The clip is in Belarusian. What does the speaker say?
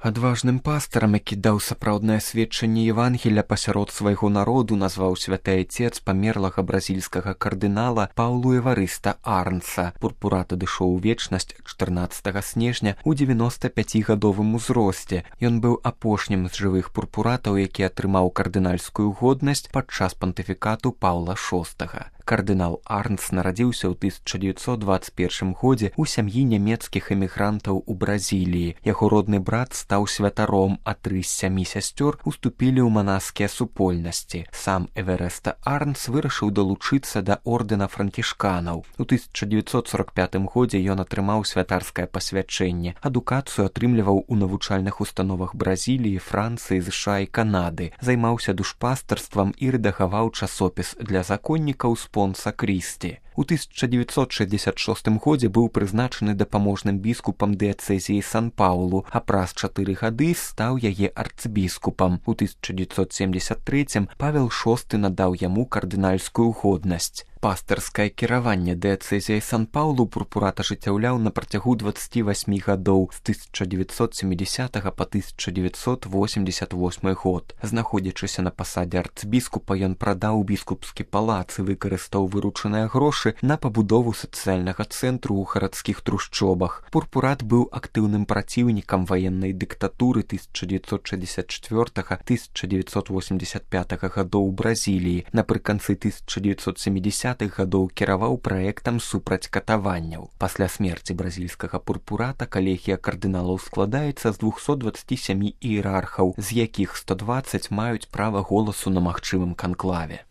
Адважным пастарам, які даў сапраўднае сведчанне Евангеля пасярод свайго народу, назваў святы айцец памерлага бразільскага кардынала Паўлу Эварыста Арнса. Пурпурат адышоў у вечнасць 14 снежня ў 95гадовым узросце. Ён быў апошнім з жывых пурпуратаў, які атрымаў кардынальскую годнасць падчас пантыфікату Паўла VI. Кардынал Арнс нарадзіўся ў 1921 годзе ў сям'і нямецкіх эмігрантаў у Бразіліі. Яго родны брат стаў святаром, а 3 з 7 сясцёр уступілі ў манаскія супольнасці. Сам Эварыст Арнс вырашыў далучыцца да ордэна франкішканаў. У 1945 годзе ён атрымаў святарскае пасвячэнне. Адукацыю атрымліваў у навучальных установах Бразіліі, Францыі, ЗША і Канады. Займаўся душпастарствам і рэдагаваў часопіс для законнікаў Спонса Крісті. У 1966 годзе быў прызначаны дапаможным біскупам дыяцэзіі Сан-Паўлу, а праз 4 гады стаў яе арцбіскупам. У 1973 Павел VI надаў яму кардынальскую годнасць. Пастарскае кіраванне дыяцэзіяй Сан-Паўлу пурпурат ажыццяўляў на працягу 28 гадоў з 1970 па 1988 год. Знаходзячыся на пасадзе арцбіскупа, ён прадаў біскупскі палац і выкарыстаў выручаныя грошы на пабудову сацыяльнага цэнтру ў гарадскіх трушчобах. Пурпурат быў актыўным праціўнікам ваеннай дыктатуры 1964-1985 гадоў у Бразіліі. Напрыканцы 1970 гадоў кіраваў праектам супраць катаванняў. Пасля смерці бразільскага пурпурата калегія кардыналаў складаецца з 227 іерархаў, з якіх 120 маюць права голасу на магчымым канклаве.